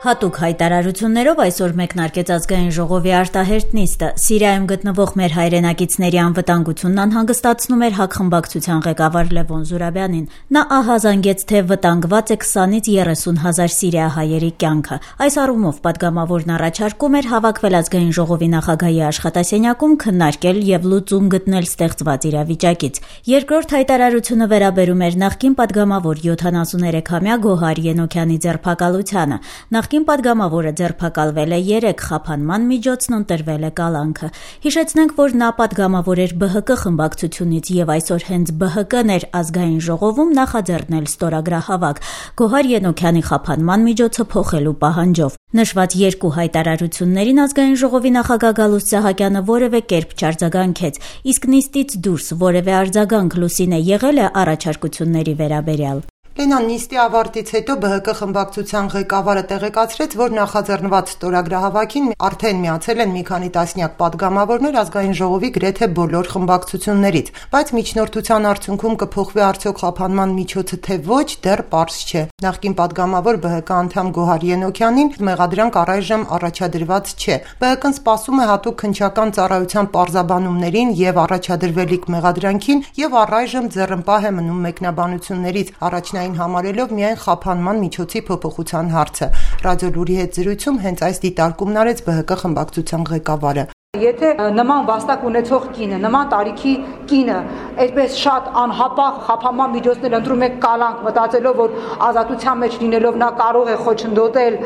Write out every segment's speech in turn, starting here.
Հատուկ հայտարարություններով այսօր մեկնարկեց ազգային ժողովի արտահերթ նիստը։ Սիրիայում գտնվող մեր հայրենակիցների անվտանգությունն անհանգստացնում էր ՀԱԿ խմբակցության ղեկավար Լևոն Զուրաբյանին։ Նա ահազանգեց, թե վտանգված է 20-ից 30 հազար սիրիահայերի կյանքը։ Այս առումով պատգամավորն առաջարկում էր հավաքվել ազգային ժողովի նախագահի աշխատասենյակում, քննարկել եւ լուծում գտնել ստեղծված իրավիճակից։ Երկրորդ հայտարարությունը վերաբերում էր նախկին պատգամավոր 73-ամյա Գոհար Ենոքյանի ձերբակալությանը։ Նախկին պատգամավորը ձերբակալվել է 3 խափանման միջոցն ընտրվել է կալանքը։ Հիշեցնենք, որ նա պատգամավոր էր ԲՀԿ խմբակցությունից եւ այսօր հենց ԲՀԿ-ն էր ազգային ժողովում նախաձեռնել ստորագրահավաք Գոհար Ենոքյանի խափանման միջոցը փոխելու պահանջով։ Նշված երկու հայտարարություններին ազգային ժողովի նախագահ Գալուստ Սահակյանը որևէ կերպ չարձագանքեց, իսկ նիստից դուրս որևէ արձագանք Լուսինե եղել է առաջարկությունների վերաբերյալ։ Լենան, նիստի ավարտից հետո ԲՀԿ խմբակցության ղեկավարը տեղեկացրեց, որ նախաձեռնված ստորագրահավաքին արդեն միացել են մի քանի տասնյակ պատգամավորներ ազգային ժողովի գրեթե բոլոր խմբակցություններից, բայց միջնորդության արդյունքում կփոխվի արդյոք խափանման միջոցը թե ոչ, դեռ պարզ չէ։ Նախկին պատգամավոր ԲՀԿ անդամ Գոհար Ենոքյանին մեղադրանք առայժմ առաջադրված չէ։ ԲՀԿ-ն սպասում է հատուկ քննչական ծառայության պարզաբանումներին եւ առաջադրվելիք մեղադրանքին եւ առայժմ ձեռնպահ է մնում մեկնաբանություններից համարելով միայն խափանման միջոցի փոփոխության հարցը։ Ռադիոլուրի հետ զրույցում հենց այս դիտարկումն արեց ԲՀԿ խմբակցության ղեկավարը։ Եթե նման վաստակ ունեցող կինը, նման տարիքի կինը այդպես շատ անհապաղ խափանման միջոցներ ընտրում է կալանք, մտածելով, որ ազատության մեջ լինելով նա կարող է խոչընդոտել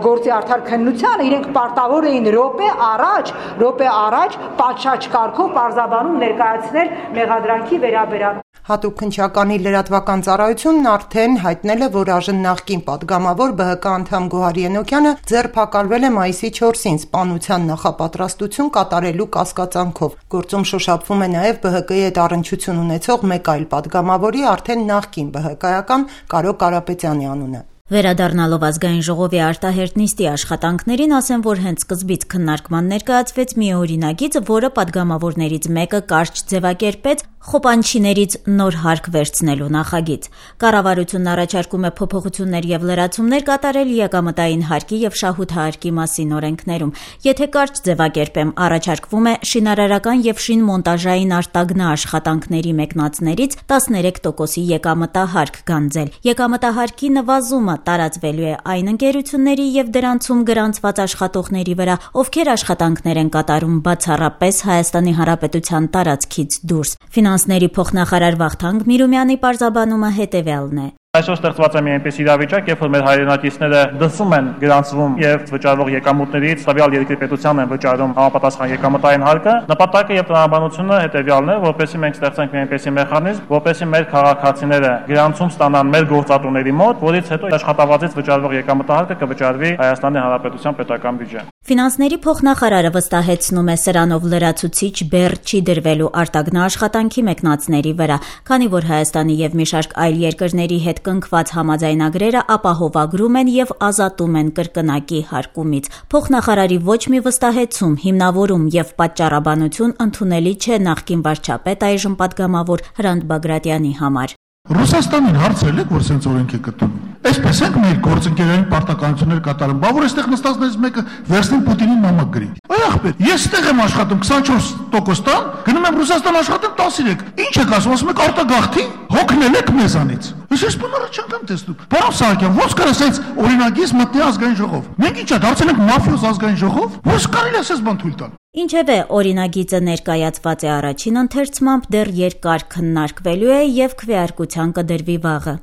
գործի արդար քննությանը, իրենք պարտավոր էին րոպե առաջ պատշաճ կարգով պարզաբանում ներկայացնել մեղադրանքի վերաբերյալ։ Հատուկ քննչականի լրատվական ծառայությունն արդեն հայտնել է, որ այժմ նախկին պատգամավոր ԲՀԿ անդամ Գոհար Ենոքյանը ձերբակալվել է մայիսի 4-ին սպանության նախապատրաստություն կատարելու կասկածանքով։ Գործում շոշափվում է նաև ԲՀԿ-ի հետ առնչություն ունեցող մեկ այլ պատգամավորի արդեն նախկին ԲՀԿ-ական Կարո Կարապետյանի անունը։ Վերադառնալով ազգային ժողովի արտահերթ նիստի աշխատանքներին, ասեմ, որ հենց սկզբից քննարկման ներկայացվեց մի օրինագիծ, որը պատգամավորներից մեկը կարճ ձևակերպեց խոպանչիներից նոր հարկ վերցնելու նախագիծ։ Կառավարությունն առաջարկում է փոփոխություններ եւ լրացումներ կատարել եկամտային հարկի եւ շահութահարկի մասին օրենքներում։ Եթե կարճ ձևակերպեմ, առաջարկվում է շինարարական եւ շինմոնտաժային արտագնա աշխատանքների մեկնածներից 13%-ի եկամտահարկ գանձել։ Եկամտահարկի նվազումը տարածվելու է այն ընկերությունների եւ դրանցում գրանցված աշխատողների վրա, ովքեր աշխատանքներ են կատարում բացառապես Հայաստանի Հանրապետության տարածքից դուրս։ Ֆինանսների փոխնախարար Վախթանգ Միրումյանի պարզաբանումը հետևյալն է։ Այսօր ստեղծված է մի այնպես իրավիճակ, երբ որ մեր հայրենակիցները դրսում են գրանցվում եւ վճարվող եկամուտներից տվյալ երկրի պետությանն են վճարում համապատասխան եկամտային հարկը, նպատակը եւ տնօրինությունը հետեւյալն է, որպեսզի մենք ստեղծենք մի այնպեսի մեխանիզմ, որպեսզի մեր քաղաքացիները գրանցում ստանան մեր գործատուների մոտ, որից հետո աշխատավարձից վճարվող եկամտահարկը կվճարվի Հայաստանի Հանրապետության պետական բյուջե։ Ֆինանսների փոխնախարարը վստահեցնում է սրանով լրացուցիչ բեռ չի դրվելու արտագնա աշխատանքի մեկնածների վրա, քանի որ Հայաստանի եւ մի շարք այլ երկրների հետ կնքված համաձայնագրերը ապահովագրում են եւ ազատում են կրկնակի հարկումից։ Փոխնախարարի ոչ մի վստահեցում, հիմնավորում եւ պատճառաբանություն ընդունելի չէ նախկին վարչապետ այժմ պատգամավոր Հրանտ Բագրատյանի համար։ Ռուսաստանին հարցրել եք, որ սենց օրենք է գտնում։ Այսպես ենք մեր գործընկերային պարտականություններ կատարում, բա որ այստեղ նստածներից մեկը վերցնի Պուտինին նամակ գրի։ Այ ախպեր, ես այդտեղ եմ աշխատում 24% տան, գնում եմ Ռուսաստան աշխատում 13։ Ինչ եք ասում եք արտագաղթի, հոգնել եք մեզանից։ Ես բանը չեմ տեսնում։ Պարոն Սահակյան, ո՞նց կարա սենց օրինագիծ մտնի ազգային ժողով։ Մենք ինչա դարձել ենք մաֆիոզ ազգային ժողով։ Ո՞նց կարելի է ասես բան թույլ տալ։ Ինչևէ, օրինագիծը ներկայացված է առաջին ընթերցմամբ, դեռ երկար քննարկվելու է եւ քվեարկության կդրվի վաղը։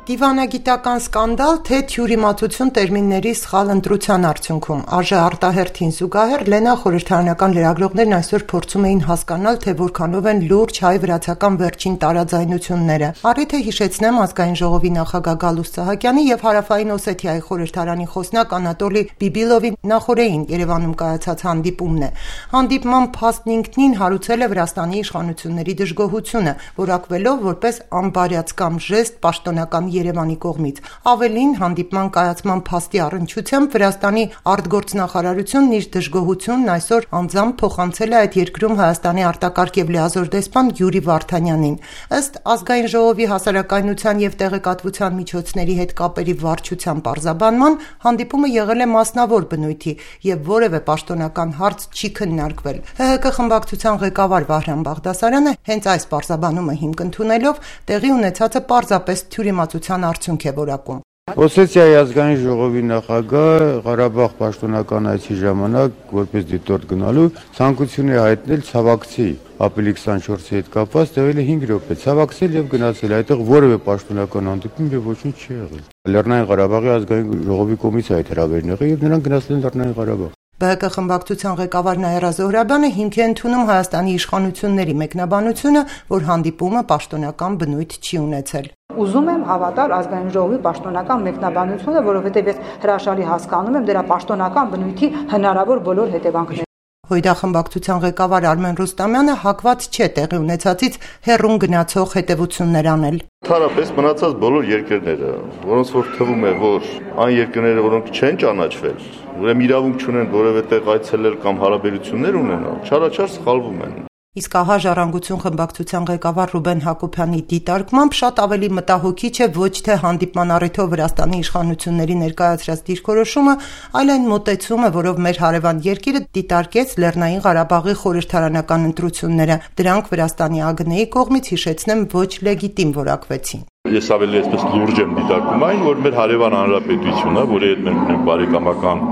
Դիվանագիտական սկանդալ, թե թյուրիմացություն տերմինների սխալ ընտրության արդյունքում։ ԱԺ արտահերթին զուգահեռ Լենա խորհրդարանական լրագրողներն այսօր փորձում էին հասկանալ, թե որքանով են լուրջ հայ-վրացական վերջին տարաձայնությունները։ Առիթ է հիշեցնեմ ազգային ժողովի նախագահ Գալուստ Սահակյանի եւ Հարավային Օսեթիայի խորհրդարանի խոսնակ Անատոլի Բիբիլովի նախորդին Երևանում կայացած հանդիպումն է։ Հանդիպման փաստն ինքնին հարուցել է Վրաստանի իշխանությունների դժգոհությունը, որակվելով որպես անբարյացկամ ժեստ պաշտոնական Երևանի կողմից։ Ավելին, հանդիպման կայացման փաստի առնչությամբ Վրաստանի արտգործնախարարությունն իր դժգոհությունն այսօր անձամբ փոխանցել է այդ երկրում Հայաստանի արտակարգ եւ լիազոր դեսպան Յուրի Վարդանյանին։ Ըստ Ազգային ժողովի հասարակայնության եւ տեղեկատվության միջոցների հետ կապերի վարչության պարզաբանման, հանդիպումը եղել է մասնավոր բնույթի եւ որևէ պաշտոնական հարց չի քննարկվել։ ՀՀԿ խմբակցության ղեկավար Վահրամ Բաղդասարյանը հենց այս պարզաբանումը հիմք ընդունելով տեղի ունեցածը պարզապես թյուրիմացության արդյունք է որակում։ Օսեթիայի ազգային ժողովի նախագահ Ղարաբաղ պաշտոնական այցի ժամանակ որպես դիտորդ գնալու ցանկություն է հայտնել ցավակցի ապրիլի 24-ի հետ կապված տևել է 5 րոպե ցավակցել եւ գնացել այդտեղ որևէ պաշտոնական հանդիպում եւ ոչինչ չի եղել։ Լեռնային Ղարաբաղի ազգային ժողովի կողմից այդ հրավերն եղել եւ նրանք գնացել են Լեռնային Ղարաբաղ։ ԲՀԿ խմբակցության ղեկավար Նաիրա Զոհրաբյանը հիմք է ընդունում Հայաստանի իշխանությունների մեկնաբանությունը, որ հանդիպումը պաշտոնական բնույթ չի ունեցել։ Ուզում եմ հավատալ ազգային ժողովի պաշտոնական մեկնաբանությունը, որովհետև ես հրաշալի հասկանում եմ դրա պաշտոնական բնույթի հնարավոր բոլոր հետևանքները։ Հույդա խմբակցության ղեկավար Արմեն Ռուստամյանը հակված չէ տեղի ունեցածից հեռուն գնացող հետևություններ անել։ Ընդհանրապես մնացած բոլոր երկրները, որոնց որ թվում է, որ այն երկրները, որոնք չեն ճանաչվել, ուրեմն իրավունք չունեն որևէ տեղ այցելել կամ հարաբերություններ ունենալ, չարաչար սխալվում են։ Իսկ ահա Ժառանգություն խմբակցության ղեկավար Ռուբեն Հակոբյանի դիտարկմամբ շատ ավելի մտահոգիչ է ոչ թե հանդիպման առիթով Վրաստանի իշխանությունների ներկայացրած դիրքորոշումը, այլ այն մոտեցումը, որով մեր հարևան երկիրը դիտարկեց Լեռնային Ղարաբաղի խորհրդարանական ընտրությունները։ Դրանք Վրաստանի ԱԳՆ-ի կողմից, հիշեցնեմ, ոչ լեգիտիմ որակվեցին։ Ես ավելի այսպես լուրջ եմ դիտարկում այն, որ մեր հարևան հանրապետությունը, որի հետ մենք ունենք բարեկամական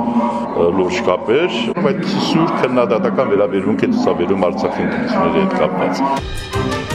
լուրջ կապեր, այդ սուր քննադատական վերաբերմունք է ցուցաբերում Արցախի ընտրությունների հետ կապված։